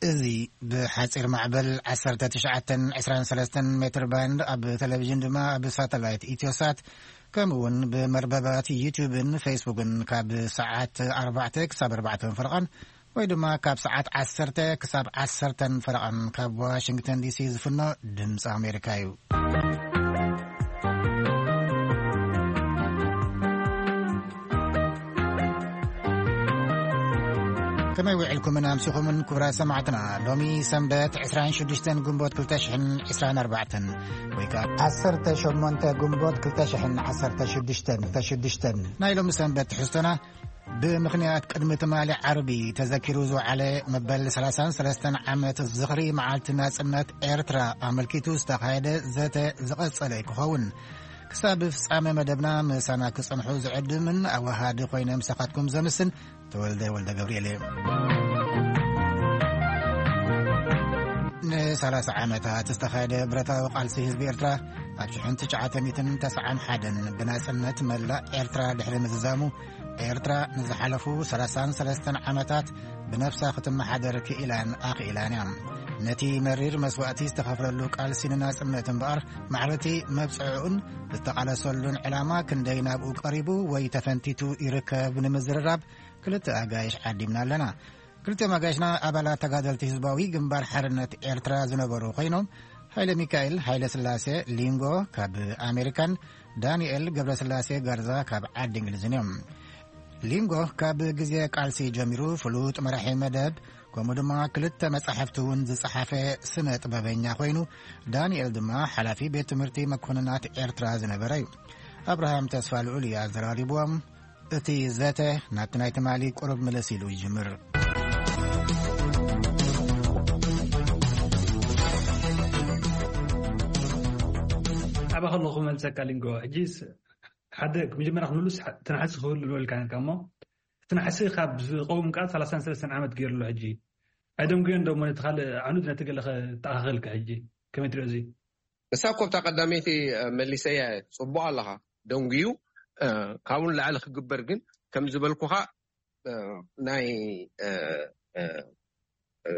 እዚ ብሓጺር ማዕበል ዓሰርተ ትሽዓተ ዕስራን ሰለስተን ሜትር ባንድ፣ ኣብ ቴሌቪዥን ድማ ኣብ ሳተላይት ኢትዮሳት፣ ከምኡ እውን ብመርበባት ዩቲዩብን ፌስቡክን ካብ ሰዓት ኣርባዕተ ክሳብ ኣርባዕተ ፈረቓን፣ ወይ ድማ ካብ ሰዓት ዓሰርተ ክሳብ ዓሰርተ ፈረቓን ካብ ዋሽንግተን ዲሲ ዝፍኖ ድምፂ ኣሜሪካ እዩ። ከመይ ውዒልኩምን ኣምሲኹምን ክቡራት ሰማዕትና? ሎሚ ሰንበት ዕስራን ሽዱሽተን ግንቦት ክልተ ሽሕን ዕስራን ኣርባዕተን፣ ወይ ከኣ ዓሰርተ ሸሞንተ ግንቦት ክልተ ሽሕን ዓሰርተ ሽዱሽተን፣ ሽዱሽተን። ናይ ሎሚ ሰንበት ትሕዝቶና ብምኽንያት ቅድሚ ትማሊ ዓርቢ ተዘኪሩ ዝወዓለ መበል ሰላሳን ሰለስተን ዓመት ዝኽሪ መዓልቲ ናጽነት ኤርትራ ኣመልኪቱ ዝተኻየደ ዘተ ዝቐጸለ ክኸውን። ክሳብ ፍጻመ መደብና ምሳና ክጸንሑ ዝዕድምን ኣዋሃዲ ኮይነ ምሳኻትኩም ዘምስን ተወልደ ወልደ ገብርኤል እየ። ንሰላሳ ዓመታት ዝተኻየደ ብረታዊ ቃልሲ ህዝቢ ኤርትራ፣ ኣብ ሽሕን ትሽዓተ ሚእትን ተስዓን ሓደን ብናጽነት መላእ ኤርትራ ድሕሪ ምዝዛሙ፣ ኤርትራ ንዝሓለፉ ሰላሳን ሰለስተን ዓመታት ብነፍሳ ክትመሓደር ክኢላን ኣኽኢላን እያ። ነቲ መሪር መስዋእቲ ዝተኸፍለሉ ቃልሲ ንናጽነት እምበኣር፣ ማዕረቲ መብጽዕኡን ዝተቓለሰሉን ዕላማ ክንደይ ናብኡ ቀሪቡ ወይ ተፈንቲቱ ይርከብ ንምዝርራብ ክልተ ኣጋይሽ ዓዲምና ኣለና። ክልቲኦም ኣጋይሽና ኣባላት ተጋደልቲ ህዝባዊ ግንባር ሓርነት ኤርትራ ዝነበሩ ኮይኖም፣ ሃይለ ሚካኤል ሃይለ ስላሴ ሊንጎ ካብ ኣሜሪካን ዳንኤል ገብረስላሴ ጋርዛ ካብ ዓዲ እንግሊዝን እዮም። ሊንጎ ካብ ግዜ ቃልሲ ጀሚሩ ፍሉጥ መራሒ መደብ፣ ከምኡ ድማ ክልተ መጻሕፍቲ እውን ዝጸሓፈ ስነ ጥበበኛ ኮይኑ፣ ዳንኤል ድማ ሓላፊ ቤት ትምህርቲ መኮንናት ኤርትራ ዝነበረ እዩ። ኣብርሃም ተስፋ ልዑል እዩ ኣዘራሪብዎም። እቲ ዘተ ናብቲ ናይ ትማሊ ቁሩብ ምልስ ኢሉ ይጅምር። ኣባ ከለኹ መልሰካ ሊንጎ። ሕጂስ ሓደ መጀመርያ ክንብሉስ፣ ትናሕሲ ክህሉ ንበልካ ነርካ እሞ፣ እቲ ናሕሲ ካብ ዝቐውም ከኣ ሰላሳን ሰለስተን ዓመት ገይሩ ኣሎ። ሕጂ ኣይደንጉዮን ዶ እሞ ነቲ ካልእ ዓኑድ ነቲ ገለ ከተኣኻኽልካ? ሕጂ ከመይ ትሪኦ እዚ? እሳ እኮ ኣብታ ቀዳመይቲ፣ እ፣ መሊሰያ እየ። ጽቡቕ ኣለኻ። ደንጉዩ፣ እ፣ ካብኡ ንላዕሊ ክግበር ግን፣ ከም ዝበልኩኻ፣ እ፣ ናይ፣ እ፣ እ፣ እ፣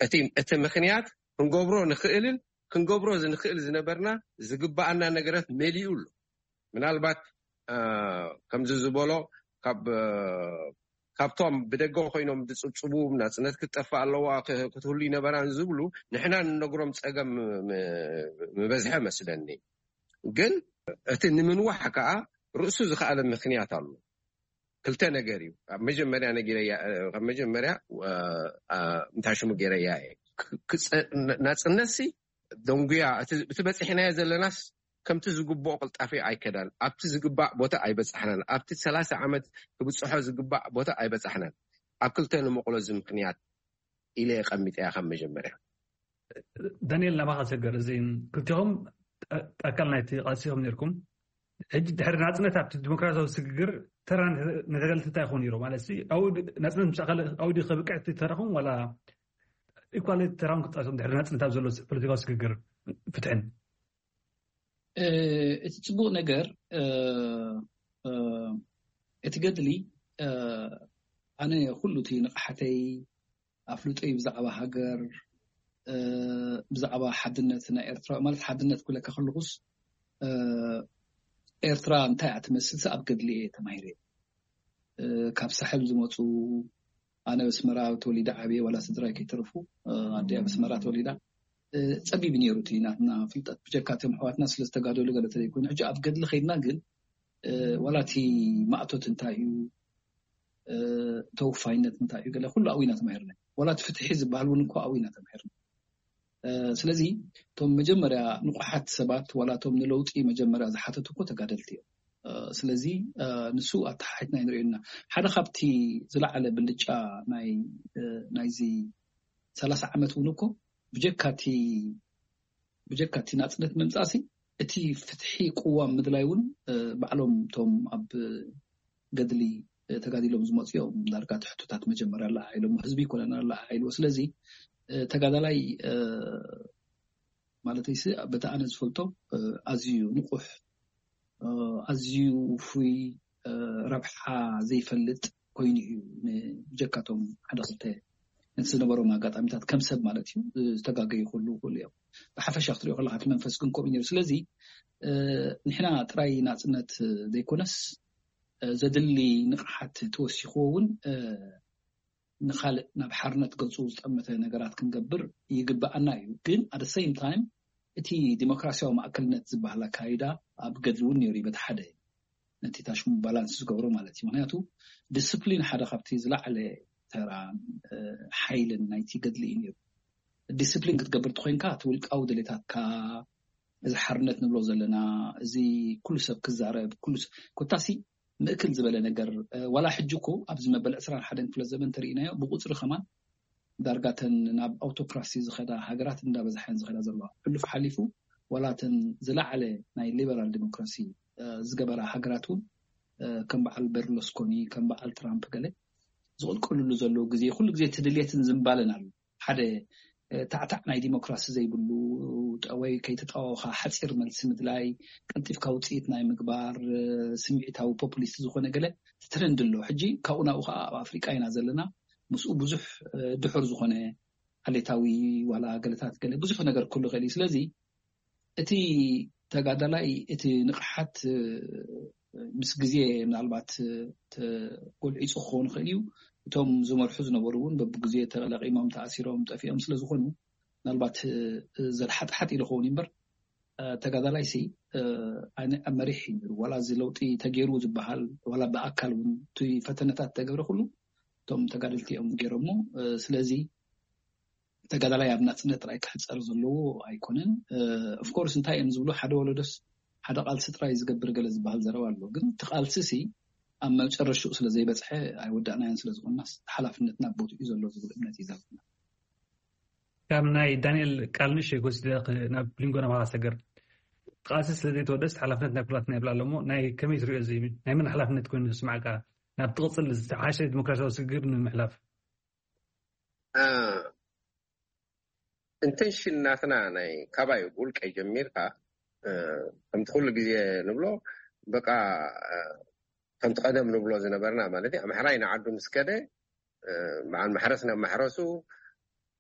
እቲ፣ እቲ ምኽንያት ክንገብሮ ንኽእልን ክንገብሮ ዝንኽእል ዝነበርና ዝግበኣና ነገራት መሊኡ ኣሎ። ምናልባት፣ እ፣ ከምዚ ዝበሎ ካብ፣ እ፣ ካብቶም ብደገ ኮይኖም ዝጽብጽቡ ናጽነት ክትጠፍእ ኣለዋ፣ ክ-፣ ክትህሉ ይነበራን ዝብሉ ንሕና ንነግሮም ጸገም ም-፣ ምበዝሐ መስለኒ። ግን እቲ ንምንዋሕ ከኣ ርእሱ ዝኸኣለ ምኽንያት ኣሎ። ክልተ ነገር እዩ። ኣብ መጀመርያ ነጊረያ፣ እ፣ ካብ መጀመርያ፣ እ፣ እ፣ እንታይ ሽሙ ገይረያ እየ። ክ-፣ ክጸ-፣ ን-፣ ናጽነትሲ ደንጉያ፣ እቲ፣ እቲ በጺሕናዮ ዘለናስ ከምቲ ዝግብኦ ቅልጣፌ ኣይከዳን፣ ኣብቲ ዝግባእ ቦታ ኣይበጻሕናን። ኣብቲ ሰላሳ ዓመት ክብጽሖ ዝግባእ ቦታ ኣይበጻሕናን። ኣብ ክልተ ንምቕሎ እዚ ምኽንያት ኢለ የቐሚጠያ ካብ መጀመርያ። ዳንኤል፣ ናባኻ ሰገር፣ እዚ ክልቲኹም ኣካል ናይቲ ቃልሲ ኢኹም ነርኩም። ሕጂ ድሕሪ ናጽነት ኣብቲ ዲሞክራሲያዊ ስግግር ተራ ንተ-፣ ንተጋደልቲ እንታይ ይኾን ነይሩ? ማለት ሲ፣ ኣውዲ-፣ ናጽነት ምስ ኣኸለ ኣውዲ ከብቅዕ እቲ ተራኹም ዋላ ኢኳል ተራኹም ክትጻወቶም ድሕሪ ናጽነት ኣብ ዘሎ ፖለቲካዊ ስግግር ፍትሕን? እ፣ እቲ ጽቡቕ ነገር፣ እ፣ እ፣ እቲ ገድሊ፣ እ፣ ኣነ ኩሉ እቲ ንቕሓተይ፣ ኣፍልጦይ ብዛዕባ ሃገር፣ እ፣ ብዛዕባ ሓድነት ናይ ኤርትራ፣ ማለት ሓድነት ክብለካ ከለኹስ፣ እ፣ ኤርትራ እንታይ እያ ትመስልሲ ኣብ ገድሊ እየ ተማሂረ። እ፣ ካብ ሳሕል ዝመጹ፣ ኣነ ኣብ ኣስመራ ተወሊደ ዓብየ፣ ዋላ ስድራይ ከይተረፉ፣ እ፣ ኣደይ ኣብ ኣስመራ ተወሊዳ። እ፣ ጸቢብ ነይሩ እቲ ናትና ፍልጠት፣ ብጀካ እቶም ኣሕዋትና ስለ ዝተጋደሉ ገለ ተዘይኮይኑ። ሕጂ ኣብ ገድሊ ከይድና ግን፣ እ፣ ዋላ እቲ ማእቶት እንታይ እዩ፣ እ፣ ተወፋይነት እንታይ እዩ፣ ገለ ኩሉ ኣብኡ ኢና ተማሂርና። ዋላ እቲ ፍትሒ ዝበሃል እውን እኮ ኣብኡ ኢና ተማሂርና። እ፣ ስለዚ እቶም መጀመርያ ንቑሓት ሰባት ዋላ እቶም ንለውጢ መጀመርያ ዝሓተቱ እኮ ተጋደልቲ እዮም። እ፣ ስለዚ፣ እ፣ ንሱ ኣተሓሒትና ይንሪኦ ኢና። ሓደ ካብቲ ዝለዓለ ብልጫ ናይ፣ እ፣ ናይዚ ሰላሳ ዓመት እውን እኮ ብጀካ እቲ፣ ብጀካ እቲ ናጽነት ምምጻእሲ እቲ ፍትሒ ቅዋም ምድላይ እውን፣ እ፣ ባዕሎም እቶም ኣብ ገድሊ፣ እ፣ ተጋዲሎም ዝመጹ እዮም። ዳርጋ እቲ ሕቶታት መጀመርያ ኣለዓዒሎም፣ ህዝቢ ይኮነና ኣለዓዒልዎ። ስለዚ፣ እ፣ ተጋዳላይ፣ እ፣ ማለተይሲ በቲ ኣነ ዝፈልጦ፣ እ፣ ኣዝዩ ንቑሕ፣ እ፣ ኣዝዩ ውፉይ፣ እ፣ ረብሓ ዘይፈልጥ ኮይኑ እዩ። ን-፣ ብጀካቶም ሓደ ክልተ ነቲ ዝነበሮም ኣጋጣሚታት ከም ሰብ ማለት እዩ ዝተጋገዩ ክህልዉ ይኽእሉ እዮም። ብሓፈሻ ክትሪኦ ከለካ እቲ መንፈስ ግን ከምኡ ነይሩ። ስለዚ ንሕና ጥራይ ናፅነት ዘይኮነስ ዘድሊ ንቕሓት ተወሲኽዎ እውን ንኻልእ ናብ ሓርነት ገፁ ዝጠመተ ነገራት ክንገብር ይግበኣና እዩ። ግን at the same time እቲ ዲሞክራሲያዊ ማእከልነት ዝበሃል ኣካይዳ ኣብ ገድሊ እውን ነይሩ እዩ። በቲ ሓደ ነቲ ታሽሙ ባላንስ ዝገብሮ ማለት እዩ። ምክንያቱ ዲስፕሊን ሓደ ካብቲ ዝለዓለ ተራ ሓይልን ናይቲ ገድሊ እዩ ነይሩ። ዲስፕሊን ክትገብር ተኮይንካ እቲ ውልቃዊ ድሌታትካ፣ እዚ ሓርነት ንብሎ ዘለና፣ እዚ ኩሉ ሰብ ክዛረብ፣ ኩሉ ሰብ ኮታሲ ምእክል ዝበለ ነገር ዋላ ሕጂ እኮ ኣብዚ መበል ዕስራን ሓደን ክፍለ ዘመን ተርእናዮ ብቁፅሪ ከማን ዳርጋተን ናብ ኣውቶክራሲ ዝኸዳ ሃገራት እንዳበዝሓን ዝኸዳ ዘለዋ። ሕሉፍ ሓሊፉ ዋላተን ዝለዓለ ናይ ሊበራል ዲሞክራሲ ዝገበራ ሃገራት እውን ከም በዓል በርሎስኮኒ ከም በዓል ትራምፕ ገለ ዝቕልቀሉሉ ዘለዉ ግዜ ኩሉ ግዜ ትድልየትን ዝምባለን ኣሎ። ሓደ ታዕታዕ ናይ ዲሞክራሲ ዘይብሉ ወይ ከይተጣወኻ ሓፂር መልሲ ምድላይ፣ ቀልጢፍካ ውፅኢት ናይ ምግባር ስምዒታዊ ፖፑሊስት ዝኾነ ገለ ትትረንድ ኣሎ። ሕጂ ካብኡ ናብኡ ከዓ ኣብ ኣፍሪቃ ኢና ዘለና። ምስኡ ብዙሕ ድሑር ዝኾነ ዓሌታዊ ዋላ ገለታት ገለ ብዙሕ ነገር ክህሉ ይኽእል እዩ። ስለዚ እቲ ተጋዳላይ እቲ ንቕሓት ምስ ግዜ ምናልባት ተጎልዒፁ ክኸውን ይኽእል እዩ። እቶም ዝመርሑ ዝነበሩ እውን በብግዜ ተለቂሞም ተኣሲሮም ጠፊኦም ስለዝኾኑ ምናልባት ዘድሓጥሓጥ ኢሉ ክኸውን እዩ እምበር ተጋዳላይ ሲ መሪሕ እዩ ነይሩ። ዋላ እዚ ለውጢ ተገይሩ ዝበሃል ዋላ ብኣካል እውን እቲ ፈተነታት ተገብረ ኩሉ እቶም ተጋደልቲ እዮም ገይሮሞ። ስለዚ ተጋዳላይ ኣብ ናፅነት ጥራይ ክሕፀር ዘለዎ ኣይኮነን። ኦፍኮርስ እንታይ እዮም ዝብሉ ሓደ ወለዶስ ሓደ ቃልሲ ጥራይ ዝገብር ገለ ዝበሃል ዘረባ ኣሎ። ግን እቲ ቃልሲ ሲ ኣብ መጨረሽኡ ስለ ዘይበፅሐ ኣይወዳእናዮን ስለ ዝኾንናስ ሓላፍነትና ቦትኡ እዩ ዘሎ ዝብል እምነት እዩ ዘለና። ካብ ናይ ዳንኤል ቃል ንእሽተይ ክወስድ ናብ ሊንጎ ናባኻ ሰገር። ቃልሲ ስለ ዘይተወደስ ሓላፍነት ናይ ኩላትና ይብላ ኣለሞ ናይ ከመይ ትሪኦ እዚ ናይ መን ሓላፍነት ኮይኑ ዝስማዕካ ናብ ትቕፅል ዝተሓሸ ዲሞክራሲያዊ ስግግር ንምሕላፍ? ኢንቴንሽን ናትና ናይ ካባይ ውልቀይ ጀሚርካ ከምቲ ኩሉ ግዜ ንብሎ በቃ ከምቲ ቀደም ንብሎ ዝነበርና ማለት ኣምሓራይ ንዓዱ ምስ ከደ በዓል ማሕረስ ናብ ማሕረሱ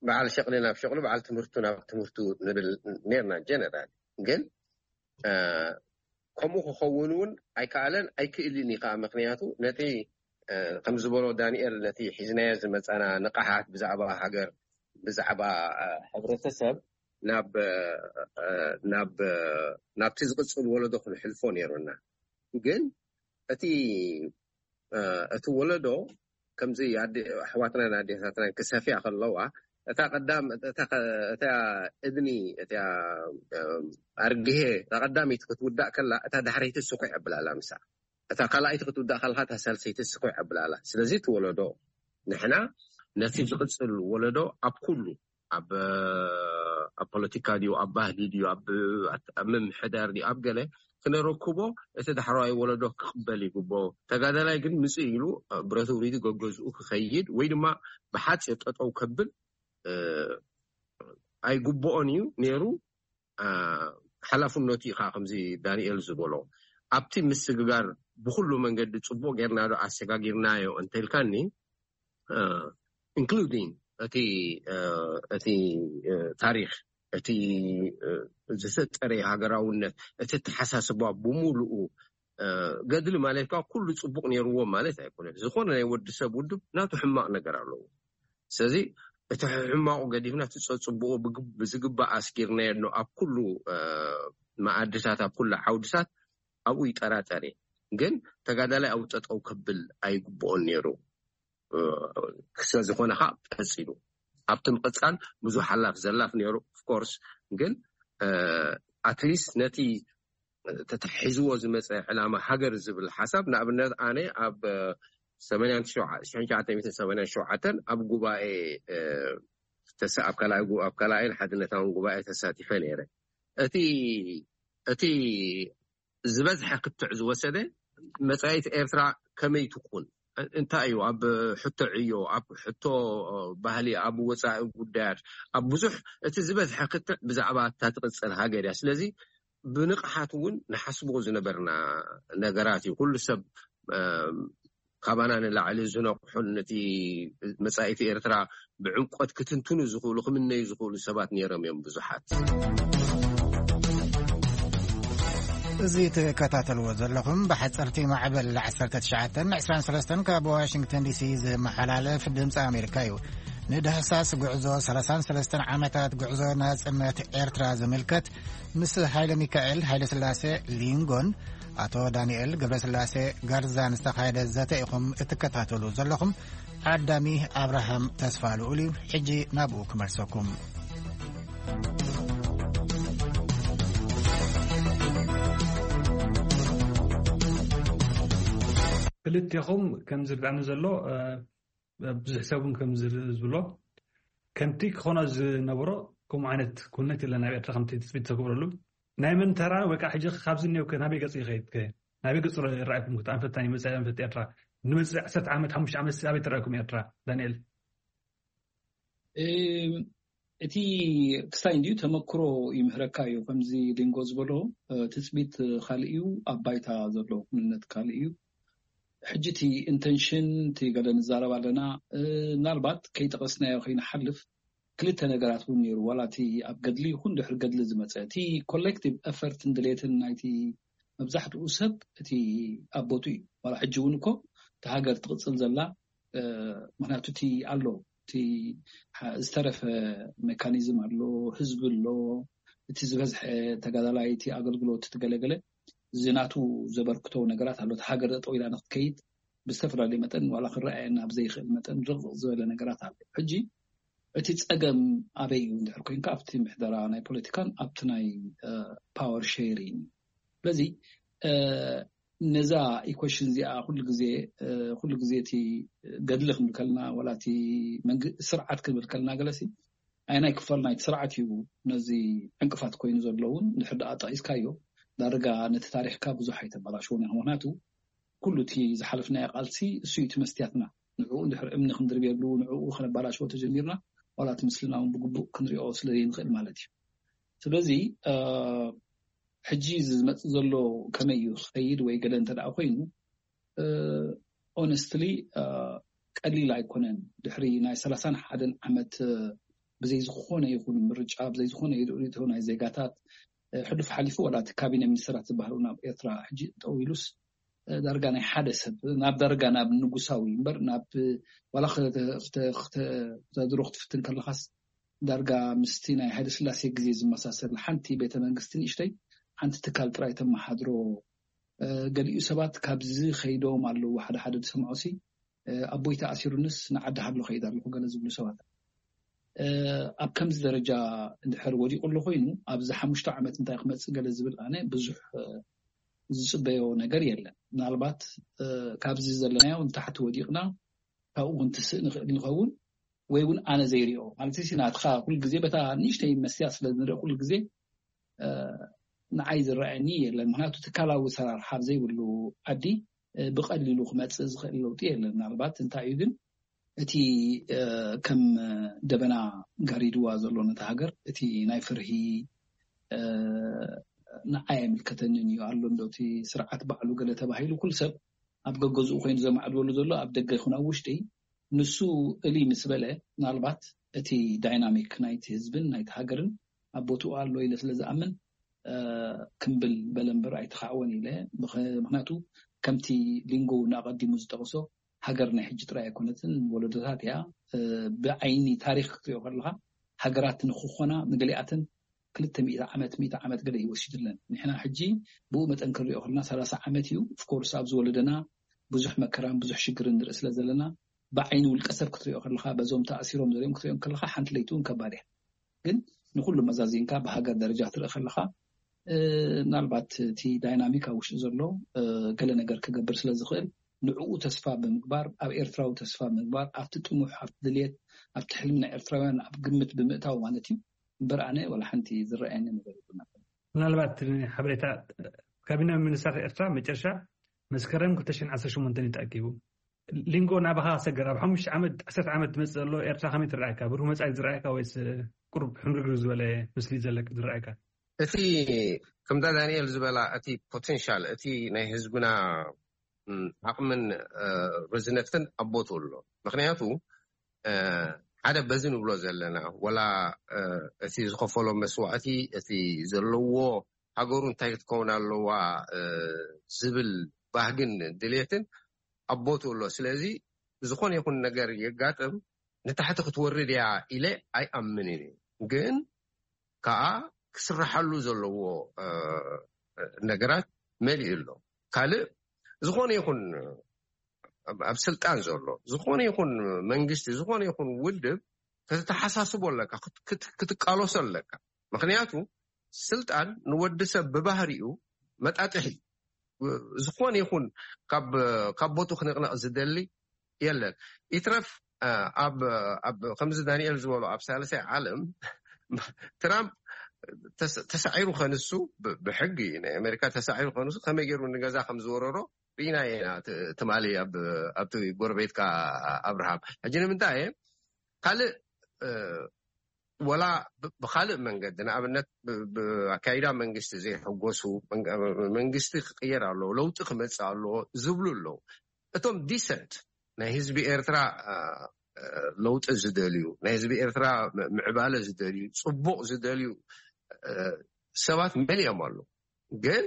በዓል ሸቕሊ ናብ ሸቕሉ በዓል ትምህርቱ ናብ ትምህርቱ ንብል ነርና ጀነራል። ግን ከምኡ ክኸውን እውን ኣይከኣለን ኣይክእልን እዩ ከዓ ምክንያቱ ነቲ ከም ዝበሎ ዳንኤል ነቲ ሒዝናዮ ዝመፃና ንቕሓት ብዛዕባ ሃገር ብዛዕባ ሕብረተሰብ ናብ ናብ ናብቲ ዝቕፅል ወለዶ ክንሕልፎ ነይሩና። ግን እቲ እቲ ወለዶ ከምዚ ኣሕዋትናን ኣዴታትናን ክሰፍያ ከለዋ እታ ቀዳም እታ እድኒ እታ ኣርግሄ እታ ቀዳሚት ክትውዳእ ከላ እታ ዳሕረይቲ ስኩዕ ኣብላላ ምሳ እታ ካልኣይቲ ክትውዳእ ከልካ እታ ሳልሰይቲ ስኩዕ ኣብላላ። ስለዚ እቲ ወለዶ ንሕና ነቲ ዝቕፅል ወለዶ ኣብ ኩሉ ኣብ ኣብ ፖለቲካ ድዩ ኣብ ባህሊ ድዩ ኣብ ምምሕዳር ድዩ ኣብ ገለ ክነረክቦ እቲ ዳሕረዋይ ወለዶ ክቕበል ይግቦ። ተጋዳላይ ግን ምፅእ ኢሉ ብረቱ ውሪዱ ገገዝኡ ክኸይድ ወይ ድማ ብሓፂር ጠጠው ከብል ኣይግብኦን እዩ ነይሩ። ሓላፍነቱ እዩ ከዓ ከምዚ ዳንኤል ዝበሎ ኣብቲ ምስግጋር ብኩሉ መንገዲ ፅቡቅ ጌርና ዶ ኣሰጋጊርናዮ እንተልካኒ including እቲ እቲ ታሪክ እቲ ዝተጠረ ሃገራውነት እቲ ተሓሳስባ ብምሉኡ ገድሊ ማለት ከዓ ኩሉ ፅቡቅ ነይርዎ ማለት ኣይኮነን። ዝኾነ ናይ ወዲ ሰብ ውድብ ናቱ ሕማቅ ነገር ኣለዎ። ስለዚ እቲ ሕማቁ ገዲፍና እቲ ፀፅቡቁ ብዝግባእ ኣስጊርናዮ ኣሎ ኣብ ኩሉ መኣድታት ኣብ ኩሉ ዓውድታት ኣብኡ ይጠራጠር እየ። ግን ተጋዳላይ ኣብኡ ጠጠው ከብል ኣይግብኦን ነይሩ። ስለዝኾነ ከዓ ቀፂሉ ኣብቲ ምቕፃል ብዙሕ ሓላፍ ዘላፍ ነይሩ። ኦፍኮርስ ግን ኣትሊስት ነቲ ተታሒዝዎ ዝመፀ ዕላማ ሃገር ዝብል ሓሳብ ንኣብነት ኣነ ኣብ ሰማንያን ሸውዓተ ኣብ ጉባኤ ኣብ ካልኣይን ሓድነታውን ጉባኤ ተሳቲፈ ነይረ። እቲ እቲ ዝበዝሐ ክትዕ ዝወሰደ መፃኢት ኤርትራ ከመይ ትኩን እንታይ እዩ ኣብ ሕቶ ዕዮ ኣብ ሕቶ ባህሊ ኣብ ወፃኢ ጉዳያት ኣብ ብዙሕ እቲ ዝበዝሐ ክትዕ ብዛዕባ እታ ትቅፅል ሃገር እያ። ስለዚ ብንቕሓት እውን ንሓስቦ ዝነበርና ነገራት እዩ። ኩሉ ሰብ ካባና ንላዕሊ ዝነቕሑን ነቲ መጻኢት ኤርትራ ብዕምቆት ክትንትኑ ዝኽእሉ፣ ክምነዩ ዝኽእሉ ሰባት ነይሮም እዮም ብዙሓት። እዚ ትከታተልዎ ዘለኹም ብሓጸርቲ ማዕበል ዓሰርተ ትሽዓተ ዕስራን ሰለስተን ካብ ዋሽንግተን ዲሲ ዝመሓላለፍ ድምፂ ኣሜሪካ እዩ። ንዳህሳስ ጉዕዞ ሰላሳን ሰለስተን ዓመታት ጉዕዞ ናጽነት ኤርትራ ዝምልከት ምስ ሃይለ ሚካኤል ሃይለ ስላሴ ሊንጎን ኣቶ ዳንኤል ገብረስላሴ ጋርዛን ዝተኻየደ ዘተ ኢኹም እትከታተሉ ዘለኹም። ዓዳሚ ኣብርሃም ተስፋ ልኡል እዩ። ሕጂ ናብኡ ክመልሰኩም። ክልቴኹም ከም ዝርዳእኒ ዘሎ ብዙሕ ሰብ እውን ከም ዝብሎ ከምቲ ክኾኖ ዝነበሮ ከምኡ ዓይነት ኩነት የለን ኣብ ኤርትራ ከምቲ ትፅቢት ተገብረሉ ናይ መን ተራ ወይ ከዓ ሕጂ ካብዚ እኒኦ ናበይ ገፅ ይኸይድ ናበይ ገፅ ይረኣይኩም ክትኣንፈት ናይ መፅእ ኣንፈት ኤርትራ ንመፅእ ዓሰርተ ዓመት ሓሙሽተ ዓመት ኣበይ ትረኣይኩም ኤርትራ ዳንኤል እቲ ክስታይ እንዲዩ ተመክሮ ይምህረካ እዩ ከምዚ ሊንጎ ዝበሎ ትፅቢት ካልእ እዩ ኣብ ባይታ ዘሎ ኩንነት ካልእ እዩ ሕጂ እቲ ኢንተንሽን እቲ ገለ ንዛረብ ኣለና ምናልባት ከይጠቐስናዮ ከይንሓልፍ ክልተ ነገራት እውን ነይሩ ዋላ እቲ ኣብ ገድሊ ይኹን ድሕሪ ገድሊ ዝመፀ እቲ ኮሌክቲቭ ኤፈርትን ድሌትን ናይቲ መብዛሕትኡ ሰብ እቲ ኣብ ቦቱ እዩ ዋላ ሕጂ እውን እኮ እቲ ሃገር ትቕፅል ዘላ ምክንያቱ እቲ ኣሎ እቲ ዝተረፈ ሜካኒዝም ኣሎ ህዝቢ ኣሎ እቲ ዝበዝሐ ተጋዳላይ እቲ ኣገልግሎት ትገለገለ ዝናቱ ዘበርክቶ ነገራት ኣሎ እቲ ሃገር ጠጠው ኢላ ንክትከይድ ብዝተፈላለዩ መጠን ዋላ ክረኣየና ብዘይክእል መጠን ርቕቕ ዝበለ ነገራት ኣሎ ሕጂ እቲ ፀገም ኣበይ እዩ እንድሕር ኮይንካ ኣብቲ ምሕደራ ናይ ፖለቲካን ኣብቲ ናይ ፓወር ሼሪን ስለዚ ነዛ ኢኮሽን እዚኣ ኩሉ ግዜ ኩሉ ግዜ እቲ ገድሊ ክንብል ከልና ዋላ እቲ ስርዓት ክንብል ከልና ገለሲ ኣይ ናይ ክፋል ናይቲ ስርዓት እዩ ነዚ ዕንቅፋት ኮይኑ ዘለውን ድሕር ደኣ ጠቂስካዮ ዳርጋ ነቲ ታሪክካ ብዙሕ ኣይተበላሽዎን ኢኻ ምክንያቱ ኩሉ እቲ ዝሓለፍናዮ ቃልሲ እሱ እዩ እቲ መስትያትና ንዕኡ እንድሕር እምኒ ክንድርብየሉ ንዕኡ ከነባላሽዎ ተጀሚርና ዋላ እቲ ምስልና እውን ብግቡእ ክንሪኦ ስለ ዘይንኽእል ማለት እዩ ስለዚ ሕጂ ዝመፅእ ዘሎ ከመይ እዩ ክኸይድ ወይ ገለ እንተ ደኣ ኮይኑ ኦነስትሊ ቀሊል ኣይኮነን ድሕሪ ናይ ሰላሳን ሓደን ዓመት ብዘይ ዝኾነ ይኹን ምርጫ ብዘይ ዝኾነ ርእቶ ናይ ዜጋታት ሕሉፍ ሓሊፉ ዋላ እቲ ካቢነ ሚኒስትራት ዝበሃሉ ናብ ኤርትራ ሕጂ ጠው ኢሉስ ዳርጋ ናይ ሓደ ሰብ ናብ ዳርጋ ናብ ንጉሳዊ እምበር ናብ ዋላ ከተድሮ ክትፍትን ከለኻስ ዳርጋ ምስቲ ናይ ሃይለ ስላሴ ግዜ ዝመሳሰል ሓንቲ ቤተ መንግስቲ ንእሽተይ ሓንቲ ትካል ጥራይ ተመሓድሮ ገሊኡ ሰባት ካብዚ ከይዶም ኣለዉ ሓደ ሓደ ዝሰምዖ ሲ ኣቦይ ተኣሲሩንስ ንዓዲ ሃሎ ከይድ ኣለኹ ገለ ዝብሉ ሰባት ኣብ ከምዚ ደረጃ እንድሕር ወዲቑ ኣሎ ኮይኑ ኣብዚ ሓሙሽተ ዓመት እንታይ ክመፅእ ገለ ዝብል ኣነ ብዙሕ ዝፅበዮ ነገር የለን ምናልባት ካብዚ ዘለናዮ ንታሕቲ ወዲቕና ካብኡ ክንትስእ ንኽእል ንኸውን ወይ እውን ኣነ ዘይሪኦ ማለት ሲ ናትካ ኩል ግዜ በታ ንእሽተይ መስትያ ስለ ንርኢ ኩል ግዜ ንዓይ ዝረኣየኒ የለን ምክንያቱ ትካላዊ ሰራርሓ ዘይብሉ ዓዲ ብቐሊሉ ክመፅእ ዝኽእል ለውጢ የለን ምናልባት እንታይ እዩ ግን እቲ ከም ደበና ጋሪድዋ ዘሎ ነቲ ሃገር እቲ ናይ ፍርሂ ንዓይ ኣይምልከተንን እዩ ኣሎ እንዶ እቲ ስርዓት ባዕሉ ገለ ተባሂሉ ኩሉ ሰብ ኣብ ገገዝኡ ኮይኑ ዘማዕድወሉ ዘሎ ኣብ ደገ ይኹን ኣብ ውሽጢ ንሱ እሊ ምስ በለ ምናልባት እቲ ዳይናሚክ ናይቲ ህዝብን ናይቲ ሃገርን ኣብ ቦትኡ ኣሎ ኢለ ስለ ዝኣምን ክምብል በለ እምበር ኣይተኻዕወን ኢለ ምክንያቱ ከምቲ ሊንጎ እውን ኣቐዲሙ ዝጠቕሶ ሃገር ናይ ሕጂ ጥራይ ኣይኮነትን ወለዶታት እያ ብዓይኒ ታሪክ ክትሪኦ ከለካ ሃገራት ንክኾና ንገሊኣተን ክልተ ሚእቲ ዓመት ሚእቲ ዓመት ገለ ይወሲድለን ንሕና ሕጂ ብኡ መጠን ክንሪኦ ከለና ሰላሳ ዓመት እዩ ኦፍኮርስ ኣብ ዝወለደና ብዙሕ መከራን ብዙሕ ሽግርን ንርኢ ስለ ዘለና ብዓይኒ ውልቀ ሰብ ክትሪኦ ከለካ በዞም ተኣሲሮም ዘሪኦም ክትሪኦም ከለካ ሓንቲ ለይቲ እውን ከባድ እያ ግን ንኩሉ መዛዚንካ ብሃገር ደረጃ ክትርኢ ከለካ ምናልባት እቲ ዳይናሚክ ኣብ ውሽጢ ዘሎ ገለ ነገር ክገብር ስለ ዝኽእል ንዕኡ ተስፋ ብምግባር ኣብ ኤርትራዊ ተስፋ ብምግባር ኣብቲ ጥሙሕ ኣብቲ ድልየት ኣብቲ ሕልሚ ናይ ኤርትራውያን ኣብ ግምት ብምእታው ማለት እዩ እምበር ኣነ ዋላ ሓንቲ ዝረኣየኒ ነገር የብሉና ምናልባት ሓበሬታ ካቢነ ሚኒስትራት ኤርትራ መጨረሻ መስከረም ክልተ ሽሕን ዓሰርተ ሸሞንተን እዩ ተኣኪቡ ሊንጎ ናባኻ ሰገር ኣብ ሓሙሽተ ዓመት ዓሰርተ ዓመት ትመፅእ ዘሎ ኤርትራ ከመይ ትረኣየካ ብሩህ መፃኢ ዝረኣየካ ወይስ ቁሩብ ሕምርግር ዝበለ ምስሊ ዘለክ ዝረኣየካ እቲ ከምታ ዳንኤል ዝበላ እቲ ፖቴንሻል እቲ ናይ ህዝብና ዓቕምን ርዝነትን ኣብ ቦትኡ ኣሎ። ምክንያቱ ሓደ በዚ ንብሎ ዘለና፣ ወላ እቲ ዝኸፈሎ መስዋእቲ፣ እቲ ዘለዎ ሃገሩ እንታይ ክትከውን ኣለዋ ዝብል ባህግን ድሌትን ኣብ ቦትኡ ኣሎ። ስለዚ ዝኾነ ይኹን ነገር የጋጥም፣ ንታሕቲ ክትወርድ እያ ኢለ ኣይኣምንን እዩ። ግን ከዓ ክስራሓሉ ዘለዎ ነገራት መሊኡ ኣሎ። ካልእ ዝኾነ ይኹን ኣብ ስልጣን ዘሎ ዝኾነ ይኹን መንግስቲ፣ ዝኾነ ይኹን ውድብ፣ ከተተሓሳስቦ ኣለካ፣ ክትቃለሶ ኣለካ። ምክንያቱ ስልጣን ንወዲ ሰብ ብባህሪኡ መጣጥሒ እዩ። ዝኾነ ይኹን ካብ ቦቱ ክንቕነቕ ዝደሊ የለን። ይትረፍ ኣብ ከምዚ ዳንኤል ዝበሎ ኣብ ሳልሳይ ዓለም ትራምፕ ተሳዒሩ ከንሱ፣ ብሕጊ ናይ ኣሜሪካ ተሳዒሩ ከንሱ ከመይ ገይሩ ንገዛ ከም ዝወረሮ ርኢና ኢና። ትማሊ ኣብቲ ጎረቤትካ ኣብርሃም፣ ሕጂ ንምንታይ ካልእ ወላ ብካልእ መንገዲ፣ ንኣብነት ብኣካይዳ መንግስቲ ዘይሕጎሱ፣ መንግስቲ ክቅየር ኣለዎ፣ ለውጢ ክመፅእ ኣለዎ ዝብሉ ኣለዉ። እቶም ዲሰንት ናይ ህዝቢ ኤርትራ ለውጢ ዝደልዩ፣ ናይ ህዝቢ ኤርትራ ምዕባለ ዝደልዩ፣ ፅቡቕ ዝደልዩ ሰባት መሊኦም ኣለዉ። ግን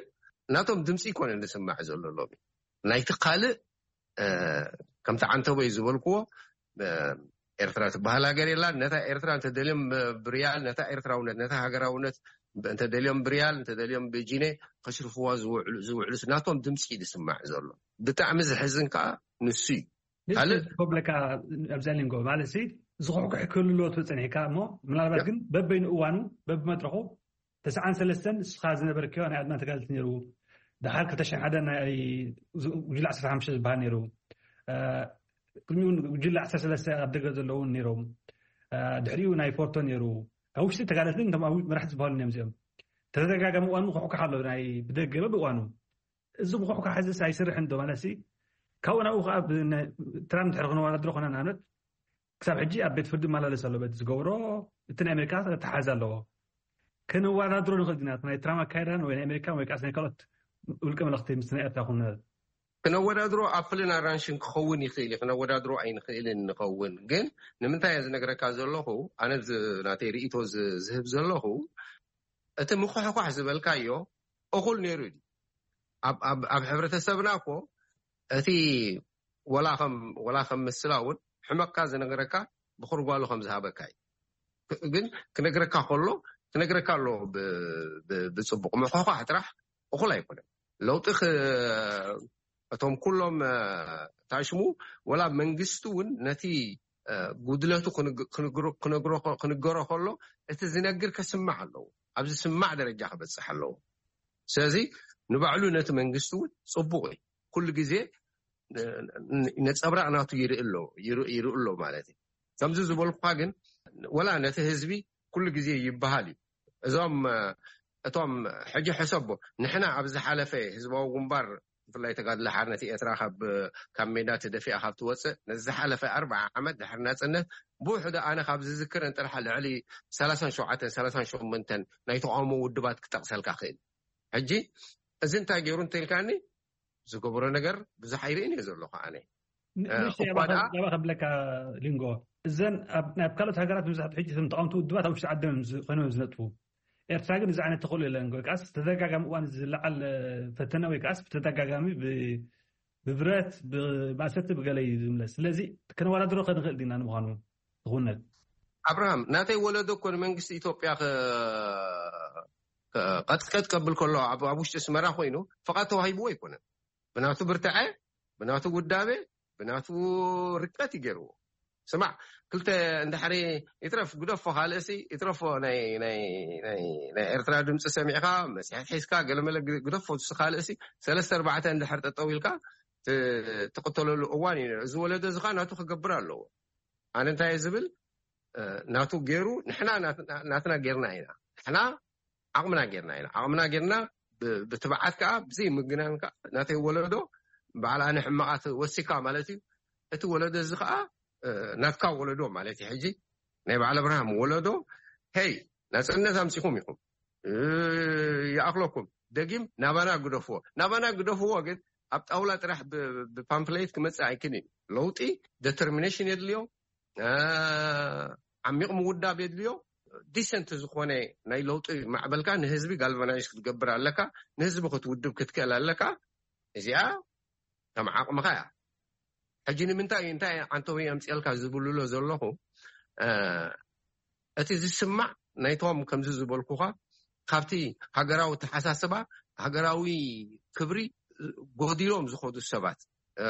ናቶም ድምፂ ይኮነ ዝስማዕ ዘሎ ሎሚ። ናይቲ ካልእ ከምቲ ዓንተቦይ ዝበልክዎ ኤርትራ ትበሃል ሃገር የላን። ነታ ኤርትራ እንተደልዮም ብሪያል፣ ነታ ኤርትራውነት፣ ነታ ሃገራውነት እንተደልዮም ብሪያል፣ እንተደልዮም ብጂኔ ከሽርፍዋ ዝውዕሉ ናቶም ድምፂ እዩ ዝስማዕ ዘሎ። ብጣዕሚ ዝሕዝን ከዓ ንሱ እዩ። ካልእ ኮብለካ ኣብዛ ሊንጎ ማለት ሲ ዝኹሕኩሕ ክህልዎ ትብል ጸኒሕካ እሞ ምናልባት ግን በበይኑ እዋኑ በብመድረኹ ተስዓን ሰለስተን ንስኻ ዝነበርክዮ ናይ ኣድማ ተጋደልቲ ነይሩ። ድሓር ክልተ ሽሕን ሓደን ናይ ጉጅለ ዓሰርተ ሓሙሽተ ዝበሃል ነይሩ። ቅድሚኡ ጉጅለ ዓሰርተ ሰለስተ ኣብ ደገ ዘለዉ እውን ነይሮም። ድሕሪኡ ናይ ፎርቶ ነይሩ። ኣብ ውሽጢ ተጋደልቲ እቶም ኣብ መራሕቲ ዝበሃሉ እዮም እዚኦም። ተደጋጋሚ እዋኑ ክሕኩሕ ኣሎ ናይ ብደገ በብእዋኑ። እዚ ምኹሕኳሕ እዚ ኣይስርሕን ዶ ማለት ሲ ካብኡ ናብኡ ከዓ ትራምፕ ድሕሪ ክንወዳድሮ ኮነ ንኣብነት ክሳብ ሕጂ ኣብ ቤት ፍርዲ ይመላለስ ኣሎ። በቲ ዝገብሮ እቲ ናይ ኣሜሪካ ተሓዝ ኣለዎ። ከነወዳድሮ ንኽእል ዲና ናይ ትራምፕ ኣካይዳን ወይ ናይ ኣሜሪካ ወይ ከዓ ናይ ካልኦት ውልቀ መለኽቲ ምስ ናይ ኤርትራ ኩነ ክነወዳድሮ ኣፕልን ኣራንሽን ክኸውን ይኽእል እዩ። ክነወዳድሮ ኣይንኽእልን ንኸውን። ግን ንምንታይ እየ ዝነግረካ ዘለኹ፣ ኣነ ናተይ ርእቶ ዝህብ ዘለኹ፣ እቲ ምኹሕኳሕ ዝበልካዮ እኹል ነይሩ እዩ። ኣብ ሕብረተሰብና እኮ እቲ ወላ ከም ምስላ እውን ሕመቅካ ዝነግረካ ብኩርጓሉ ከም ዝሃበካ እዩ። ግን ክነግረካ ከሎ ክነግረካ ኣለዎ ብፅቡቅ። ምኹሕኳሕ ጥራሕ እኹል ኣይኮነን። ለውጢ እቶም ኩሎም ታሽሙ ወላ መንግስቲ እውን ነቲ ጉድለቱ ክንገሮ ከሎ እቲ ዝነግር ከስማዕ ኣለዎ። ኣብ ዝስማዕ ደረጃ ክበፅሕ ኣለዎ። ስለዚ ንባዕሉ ነቲ መንግስቲ እውን ፅቡቅ እዩ። ኩሉ ግዜ ነፀብራቅ ናቱ ይርኢ ኣሎ ማለት እዩ። ከምዚ ዝበልኩካ ግን ወላ ነቲ ህዝቢ ኩሉ ግዜ ይበሃል እዩ። እዞም እቶም ሕጂ ሕሰቦ፣ ንሕና ኣብ ዝሓለፈ ህዝባዊ ግንባር ብፍላይ ተጋድሎ ሓርነት ኤርትራ ካብ ሜዳ ተደፊኣ ካብ ትወፅእ ነዚ ዝሓለፈ ኣርባዓ ዓመት ድሕሪ ናፅነት ብውሕዱ ኣነ ካብ ዝዝክር እንጥራሕ ልዕሊ ሰላሳን ሸውዓተን ሰላሳን ሸሞንተን ናይ ተቃውሞ ውድባት ክጠቅሰልካ ክእል። ሕጂ እዚ እንታይ ገይሩ እንተልካኒ ዝገበሮ ነገር ብዙሕ ኣይርእን እየ ዘለኹ ኣነ። ባ ከብለካ ሊንጎ እዘን ናብ ካልኦት ሃገራት መብዛሕትኡ ሕጂ እቶም ተቃውምቲ ውድባት ኣብ ውሽጢ ዓዶም ኮይኖም ዝነጥፉ። ኤርትራ ግን እዚ ዓይነት ተኽእሎ የለን። ወይ ከዓስ ተደጋጋሚ እዋን ዝለዓል ፈተነ ወይ ከዓስ ብተደጋጋሚ ብብረት ብማእሰርቲ ብገለ እዩ ዝምለስ። ስለዚ ከነወዳድሮ ከንኽእል ዲና ንምዃኑ ዝኹነት ኣብርሃም ናተይ ወለዶ እኮ ንመንግስቲ ኢትዮጵያ ቀጥቀጥ ቀብል ከሎ ኣብ ውሽጢ ስመራ ኮይኑ ፍቓድ ተዋሂብዎ ኣይኮነን። ብናቱ ብርትዐ፣ ብናቱ ውዳቤ፣ ብናቱ ርቀት ይገርዎ። ስማዕ ክልተ እንድሕሪ ይትረፍ ግደፎ ካልእሲ ይትረፎ ናይ ኤርትራ ድምፂ ሰሚዕካ መፅሔት ሒዝካ ገለመለ ግደፎ ካልእሲ ሰለስተ ኣርባዕተ እንድሕር ጠጠው ኢልካ ትቅተለሉ እዋን እዩ። እዚ ወለዶ እዚ ከዓ ናቱ ክገብር ኣለዎ። ኣነ እንታይ ዝብል ናቱ ገይሩ ንሕና ናትና ገይርና ኢና። ንሕና ዓቕምና ገይርና ኢና። ዓቕምና ገይርና ብትብዓት ከዓ ብዘይ ምግናን ከዓ ናተይ ወለዶ በዓል ኣነ ሕማቓት ወሲካ ማለት እዩ። እቲ ወለዶ እዚ ከዓ ናትካ ወለዶ ማለት እዩ። ሕጂ ናይ በዓል ኣብርሃም ወለዶ ሄይ ናፅነት ኣምፂኹም ኢኹም ይኣኽለኩም ደጊም ናባና ግደፍዎ ናባና ግደፍዎ ግን ኣብ ጣውላ ጥራሕ ብፓምፕሌት ክመፅእ ኣይክን እዩ። ለውጢ ዴተርሚኔሽን የድልዮ፣ ዓሚቕ ምውዳብ የድልዮ። ዲሰንት ዝኾነ ናይ ለውጢ ማዕበልካ ንህዝቢ ጋልቫናይዝ ክትገብር ኣለካ፣ ንህዝቢ ክትውድብ ክትክእል ኣለካ። እዚኣ ከም ዓቕምኻ እያ። ሕጂ ንምንታይ እንታይ ዓንተዊ ኣምፅልካ ዝብልሎ ዘለኹ፣ እቲ ዝስማዕ ናይቶም ከምዚ ዝበልኩኻ ካብቲ ሃገራዊ ተሓሳስባ፣ ሃገራዊ ክብሪ ጎዲሎም ዝኸዱ ሰባት፣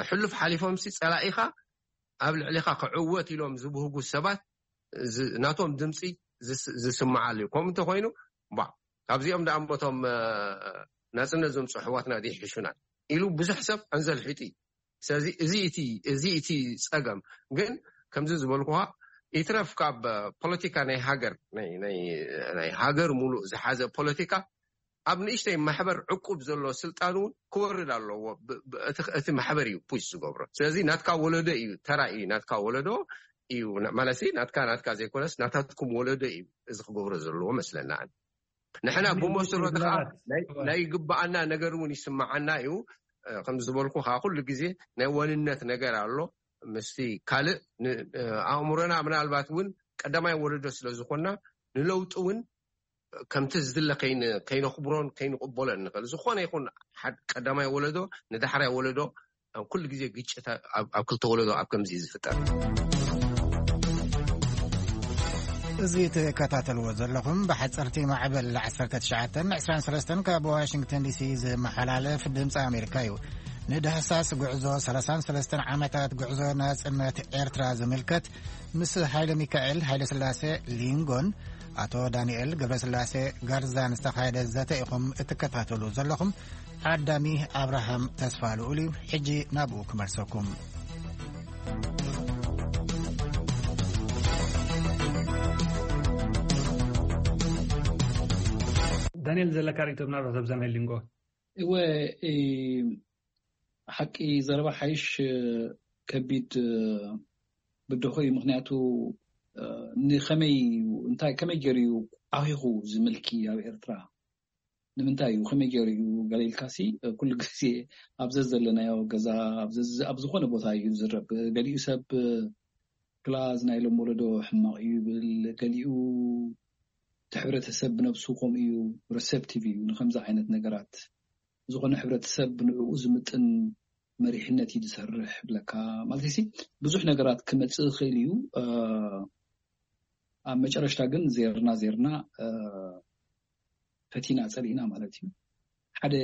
ሕሉፍ ሓሊፎምሲ ፀላኢኻ ኣብ ልዕሊኻ ክዕወት ኢሎም ዝብህጉ ሰባት ናቶም ድምፂ ዝስማዓሉ እዩ። ከምኡ እንተኮይኑ ባ ካብዚኦም ደኣ እቶም ናፅነት ዘምፅኡ ኣሕዋትና ይሕሹና ኢሉ ብዙሕ ሰብ ኣንዘልሒጡ እዩ። ስለዚ እዚ እቲ ጸገም ግን ከምዚ ዝበልኩኻ ይትረፍ ካብ ፖለቲካ ናይ ሃገር ናይ ሃገር ሙሉእ ዝሓዘ ፖለቲካ ኣብ ንእሽተይ ማሕበር ዕቁብ ዘሎ ስልጣን እውን ክወርድ ኣለዎ። እቲ ማሕበር እዩ ፑሽ ዝገብሮ። ስለዚ ናትካ ወለዶ እዩ ተራ እዩ ናትካ ወለዶ እዩ ማለት ናትካ ናትካ ዘይኮነስ ናታትኩም ወለዶ እዩ እዚ ክገብሮ ዘለዎ መስለና። ንሕና ብመሰረቱ ከዓ ናይ ግብኣና ነገር እውን ይስምዓና እዩ። ከም ዝበልኩ ከዓ ኩሉ ግዜ ናይ ወንነት ነገር ኣሎ ምስቲ ካልእ ኣእምሮና ምናልባት እውን ቀዳማይ ወለዶ ስለ ዝኾንና ንለውጢ እውን ከምቲ ዝድለ ከይነኽብሮን ከይንቕበሎን ንኽእል። ዝኾነ ይኹን ቀዳማይ ወለዶ ንዳሕራይ ወለዶ ኩሉ ግዜ ግጭት ኣብ ክልተ ወለዶ ኣብ ከምዚ ዝፍጠር። እዚ ትከታተልዎ ዘለኹም ብሓፀርቲ ማዕበል ዓሰርተ ትሽዓተ ዕስራን ሰለስተን ካብ ዋሽንግተን ዲሲ ዝመሓላለፍ ድምፂ ኣሜሪካ እዩ። ንዳህሳስ ጉዕዞ ሰላሳን ሰለስተን ዓመታት ጉዕዞ ናፅነት ኤርትራ ዝምልከት ምስ ሃይለ ሚካኤል ሃይለ ስላሴ ሊንጎን ኣቶ ዳንኤል ገብረስላሴ ጋርዛን ዝተኻየደ ዘተ ኢኹም እትከታተሉ ዘለኹም። ዓዳሚ ኣብርሃም ተስፋ ልኡል እዩ። ሕጂ ናብኡ ክመልሰኩም። ዳንኤል ዘለካ ርእቶ ምናልባት ኣብዛ ናይ ሊንጎ እወ ሓቂ ዘረባ ሓይሽ ከቢድ ብድኾ እዩ። ምክንያቱ ንኸመይ እንታይ ከመይ ገይሩ እዩ ዓኺኹ ዝምልኪ ኣብ ኤርትራ ንምንታይ እዩ ከመይ ገይሩ እዩ ገለ ኢልካሲ ኩሉ ግዜ ኣብ ዘዘለናዮ ገዛ ኣብ ዝኾነ ቦታ እዩ ዝረብ። ገሊኡ ሰብ ክላዝ ናይ ሎም ወለዶ ሕማቕ እዩ ይብል፣ ገሊኡ እቲ ሕብረተሰብ ብነብሱ ከምኡ እዩ፣ ሪሰፕቲቭ እዩ ንከምዚ ዓይነት ነገራት። ዝኾነ ሕብረተሰብ ብንዕኡ ዝምጥን መሪሕነት እዩ ዝሰርሕ ብለካ ማለት ሲ ብዙሕ ነገራት ክመፅእ ይኽእል እዩ። ኣብ መጨረሽታ ግን ዜርና ዜርና ፈቲና ፀሊእና ማለት እዩ። ሓደ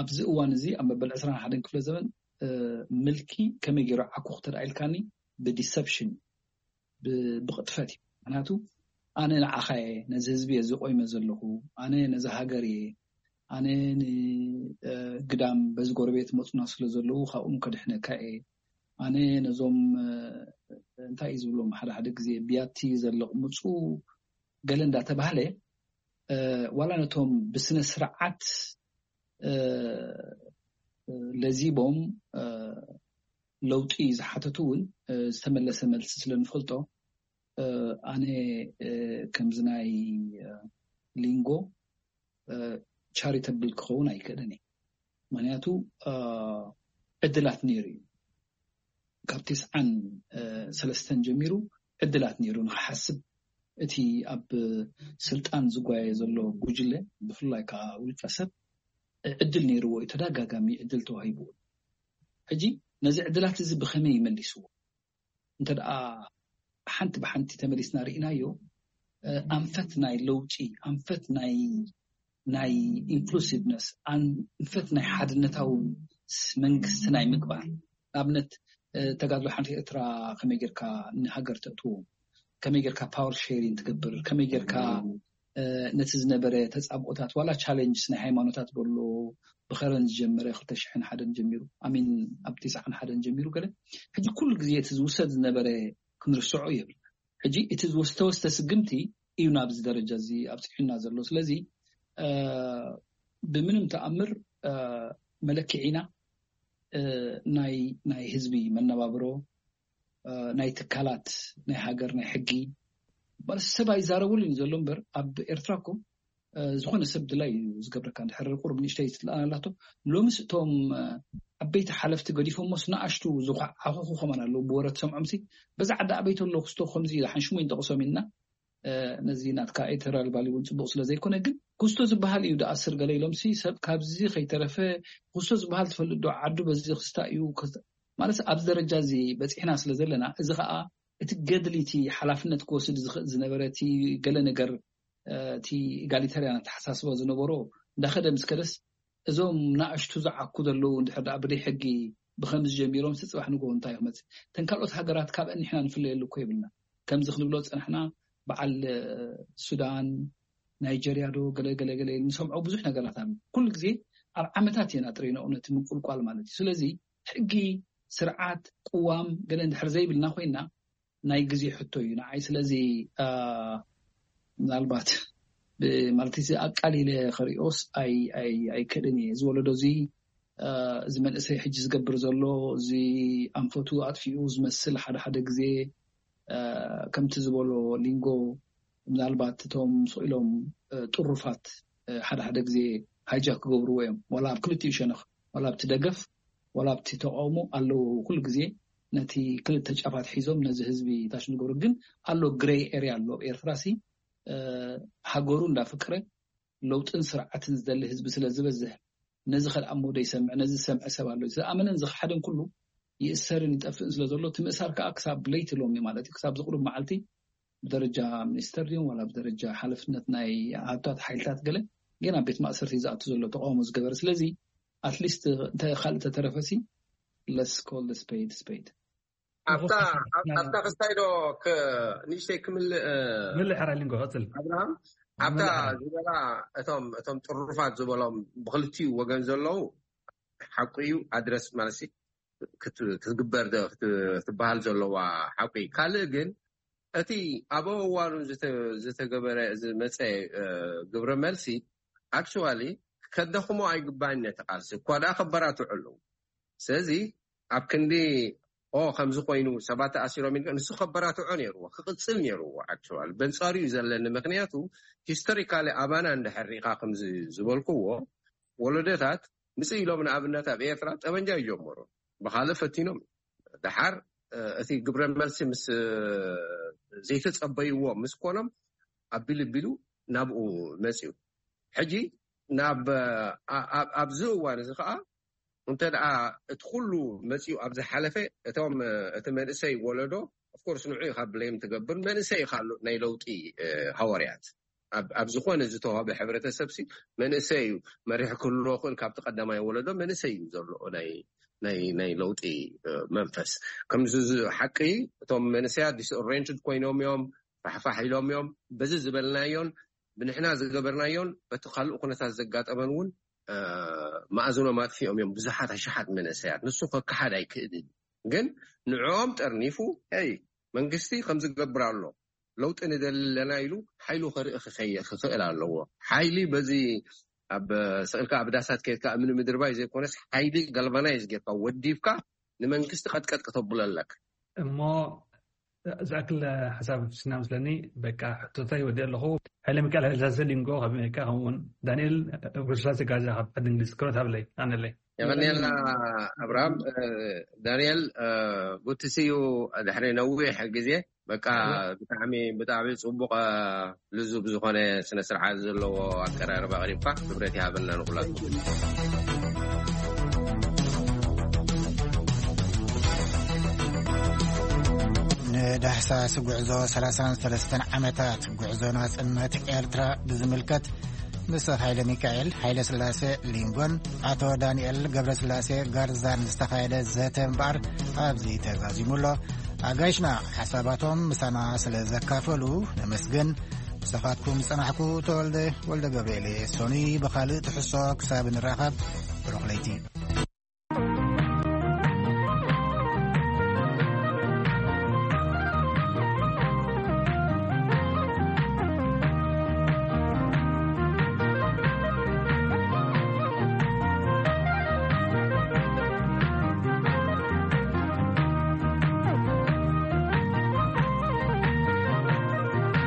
ኣብዚ እዋን እዚ ኣብ መበል ዕስራን ሓደን ክፍለ ዘመን ምልኪ ከመይ ገይሩ ዓኩ ክተደኣ ኢልካኒ ብዲሰፕሽን ብቕጥፈት እዩ። ምክንያቱ ኣነ ንዓኻ እየ ነዚ ህዝቢ እየ ዝቆይመ ዘለኹ፣ ኣነ ነዚ ሃገር እየ፣ ኣነ ንግዳም በዚ ጎረቤት መፁና ስለ ዘለዉ ካብኡም ከድሕነካ እየ፣ ኣነ ነዞም እንታይ እዩ ዝብሎም ሓደ ሓደ ግዜ ብያቲ ዘለቕምፁ ገለ እንዳተባህለ ዋላ ነቶም ብስነ ስርዓት ለዚቦም ለውጢ ዝሓተቱ እውን ዝተመለሰ መልሲ ስለ ንፈልጦ ኣነ ከምዚ ናይ ሊንጎ ቻሪተብል ክኸውን ኣይክእልን እዩ። ምክንያቱ ዕድላት ነይሩ እዩ። ካብ ቴስዓን ሰለስተን ጀሚሩ ዕድላት ነይሩ ንክሓስብ እቲ ኣብ ስልጣን ዝጓየ ዘሎ ጉጅለ ብፍላይ ከዓ ውልቀ ሰብ ዕድል ነይርዎ እዩ። ተደጋጋሚ ዕድል ተዋሂብዎ። ሕጂ ነዚ ዕድላት እዚ ብኸመይ ይመሊስዎ? እንተ ደኣ ሓንቲ ብሓንቲ ተመሊስና ርኢናዮ ኣንፈት ናይ ለውጢ ኣንፈት ናይ ናይ ኢንክሉሲቭነስ ኣንፈት ናይ ሓድነታዊ መንግስቲ ናይ ምግባር ንኣብነት ተጋድሎ ሓንቲ ኤርትራ ከመይ ጌርካ ንሃገር ተእትዎ ከመይ ጌርካ ፓወር ሼሪን ትገብር ከመይ ጌርካ ነቲ ዝነበረ ተፃብኦታት ዋላ ቻሌንጅስ ናይ ሃይማኖታት በሎ ብኸረን ዝጀመረ ክልተ ሽሕን ሓደን ጀሚሩ ኣሚን ኣብ ትስዓን ሓደን ጀሚሩ ገለ ሕጂ ኩሉ ግዜ እቲ ዝውሰድ ዝነበረ ክንርስዖ የብል ሕጂ እቲ ዝተወስተ ስግምቲ እዩ ናብዚ ደረጃ እዚ ኣብፅሑና ዘሎ ስለዚ ብምንም ተኣምር መለክዒና ናይ ህዝቢ መነባብሮ ናይ ትካላት ናይ ሃገር ናይ ሕጊ ሰብ ኣይዛረብሉን ዘሎ እምበር ኣብ ኤርትራ እኮ ዝኾነ ሰብ ድላይ እዩ ዝገብረካ። እንድሕር ቁሩብ ንእሽተይ ትልኣና ኣላቶ። ሎምስ እቶም ዓበይቲ ሓለፍቲ ገዲፎሞስ ንኣሽቱ ዝኳዓኹኹ ከማን ኣለዉ። ብወረ ትሰምዖምሲ በዛ ዓዲ ኣበይ ተሎ ክስቶ ከምዚ ሓንሽሙ ይንጠቕሶም ኢልና። ነዚ ናትካ ኤተራል ባሊ እውን ፅቡቅ ስለዘይኮነ ግን ኩስቶ ዝበሃል እዩ ደኣስር ገለ ኢሎምሲ ሰብ ካብዚ ከይተረፈ። ኩስቶ ዝበሃል ትፈልጥ ዶ? ዓዱ በዚ ክስታ እዩ ማለት ኣብዚ ደረጃ እዚ በፂሕና ስለ ዘለና፣ እዚ ከዓ እቲ ገድሊ እቲ ሓላፍነት ክወስድ ዝኽእል ዝነበረ እቲ ገለ ነገር እቲ ኢጋሊተርያን ኣተሓሳስባ ዝነበሮ እንዳኸደ ምስ ከደስ፣ እዞም ናእሽቱ ዝዓኩ ዘለዉ እንድሕር ደኣ ብደይ ሕጊ ብኸምዚ ጀሚሮም ስፅባሕ ንጎ እንታይ ክመፅእ? እተን ካልኦት ሃገራት ካብአን ንሕና ንፍለየሉ እኮ የብልና። ከምዚ ክንብሎ ዝፀናሕና በዓል ሱዳን፣ ናይጀርያ ዶ ገለ ገለ ገለ ንሰምዖ ብዙሕ ነገራት ኣሎ። ኩሉ ግዜ ኣብ ዓመታት እየን ኣጥሪኖ እውነት ምቁልቋል ማለት እዩ። ስለዚ ሕጊ፣ ስርዓት፣ ቅዋም ገለ እንድሕር ዘይብልና ኮይና ናይ ግዜ ሕቶ እዩ ንዓይ። ስለዚ ምናልባት ማለት እዚ ኣቃሊለ ክሪኦስ ኣይክእልን እየ። እዚ ወለዶ እዚ እዚ መንእሰይ ሕጂ ዝገብር ዘሎ እዚ ኣንፈቱ ኣጥፊኡ ዝመስል ሓደ ሓደ ግዜ ከምቲ ዝበሎ ሊንጎ ምናልባት እቶም ስቕ ኢሎም ጥሩፋት ሓደ ሓደ ግዜ ሃይጃክ ክገብርዎ እዮም። ዋላ ኣብ ክልቲኡ ሸነኽ፣ ዋላ ኣብቲ ደገፍ ዋላ ኣብቲ ተቃውሞ ኣለዉ። ኩሉ ግዜ ነቲ ክልተ ጫፋት ሒዞም ነዚ ህዝቢ ታሽ ዝገብሩ ግን ኣሎ ግሬይ ኤርያ ኣሎ። ኤርትራ ሲ ሃገሩ እንዳፍቅረ ለውጥን ስርዓትን ዝደሊ ህዝቢ ስለ ዝበዝሕ ነዚ ከድኣሞ ዘይሰምዕ፣ ነዚ ዝሰምዐ ሰብ ኣሎ። ዝኣመነን ዝኸሓደን ኩሉ ይእሰርን ይጠፍእን ስለ ዘሎ እቲ ምእሳር ከዓ ክሳብ ለይቲ ሎሚ ማለት እዩ ክሳብ ዝቕሩብ መዓልቲ ብደረጃ ሚኒስተር ድዮም ዋላ ብደረጃ ሓለፍነት ናይ ሃብታት ሓይልታት ገለ ገና ቤት ማእሰርቲ ዝኣቱ ዘሎ ተቃውሞ ዝገበረ። ስለዚ ኣትሊስት እንተ ካልእ ተተረፈሲ let's call the spade spade። ኣብታ ክስታይ ዶ ንእሽተይ ክምልእ? ምልእ ሕራይ ሊንጎ ቀፅል። ኣብርሃም ኣብታ ዝበላ እቶም እቶም ጥሩፋት ዝበሎም ብክልቲኡ ወገን ዘለዉ ሓቁ እዩ። ኣድረስ ማለት ክትግበር ክትበሃል ዘለዋ ሓቁ እዩ። ካልእ ግን እቲ ኣብ እዋኑ ዝተገበረ ዝመፀ ግብረ መልሲ ኣክቹዋሊ ከደኽሞ ኣይግባን ነቲ ቃልሲ እኳ ደኣ ከበራትዑ ኣለዉ። ስለዚ ኣብ ክንዲ ኦ ከምዚ ኮይኑ ሰባት ተኣሲሮም ኢልካ ንሱ ከበራትዖ ነይርዎ ክቕፅል ነይርዎ። ኣክቹዋሊ በንፃሩ እዩ ዘለኒ። ምክንያቱ ሂስቶሪካሊ ኣባና እንድሕር ሪኢኻ ከምዚ ዝበልክዎ ወለዶታት ምጽእ ኢሎም ንኣብነት ኣብ ኤርትራ ጠበንጃ ይጀመሩ ብካልእ ፈቲኖም ድሓር እቲ ግብረ መልሲ ምስ ዘይተጸበይዎ ምስ ኮኖም ኣቢሉ ኣቢሉ ናብኡ መጽዩ። ሕጂ ናብ ኣብዚ እዋን እዚ ከዓ እንተ ደኣ እቲ ኩሉ መጺኡ ኣብ ዝሓለፈ እቶም እቲ መንእሰይ ወለዶ ኦፍኮርስ ንዑ ኢኻ ብሌም ትገብር መንእሰይ ኢኻ ኣሎ ናይ ለውጢ ሃዋርያት ኣብ ዝኾነ ዝተዋህበ ሕብረተሰብ ሲ መንእሰይ እዩ መሪሕ ክህልዎ ክእል ካብቲ ቀዳማይ ወለዶ መንእሰይ እዩ ዘሎ ናይ ናይ ናይ ለውጢ መንፈስ ከምዚ ሓቂ እቶም መንእሰያት ዲስኦሬንትድ ኮይኖም እዮም ፋሕፋሕ ኢሎም እዮም በዚ ዝበልናዮን ብንሕና ዝገበርናዮን በቲ ካልእ ኩነታት ዘጋጠመን እውን መኣዝኖም ኣጥፊኦም እዮም ብዙሓት ኣሽሓት መንእሰያት ንሱ ከከሓድ ኣይክእልን ግን ንዕኦም ጠርኒፉ ይ መንግስቲ ከምዝገብር ኣሎ ለውጢ ንደሊ ኣለና ኢሉ ሓይሉ ከርኢ ክኸየ ክኽእል ኣለዎ። ሓይሊ በዚ ኣብ ስቕልካ ኣብ ዳሳት ከይድካ እምኒ ምድርባይ ዘይኮነስ ሓይሊ ጋልቫናይዝ ጌርካ ወዲብካ ንመንግስቲ ቀጥቀጥ ክተብሎ ኣለካ። እሞ ዝኣክል ሓሳብ ስና ምስለኒ በቃ ሕቶታይ ወዲ ኣለኹ። ሓይለ ሚካኤል ሓይለ ስላሴ ሊንጎ ካብ ኣሜሪካ ከምኡውን ዳንኤል ጉስላሴ ጋዛ ካብ ዓዲ እንግሊዝ ክብረት ሃብለይ ኣነለይ። የቐንየልና ኣብርሃም። ዳንኤል ጉትስዩ ድሕሪ ነዊሕ ግዜ በቃ ብጣዕሚ ብጣዕሚ ፅቡቅ ልዙብ ዝኮነ ስነ ስርዓት ዘለዎ ኣቀራርባ ኣቅሪብካ ክብረት ይሃበልና ንኩላትኩም። ንዳህሳስ ጉዕዞ ሰላሳን ሰለስተን ዓመታት ጉዕዞ ናጽነት ኤርትራ ብዝምልከት ምስ ሃይለ ሚካኤል ሃይለ ስላሴ ሊንጎን ኣቶ ዳንኤል ገብረስላሴ ጋርዛን ዝተኻየደ ዘተ እምበኣር ኣብዚ ተዛዚሙ ኣሎ። ኣጋይሽና ሓሳባቶም ምሳና ስለ ዘካፈሉ ነመስግን። ምሳኻትኩም ዝጸናሕኩ ተወልደ ወልደ ገብርኤል እየ። ሰኑይ ብኻልእ ትሕዝቶ ክሳብ ንራኸብ ብሩኽ ለይቲ።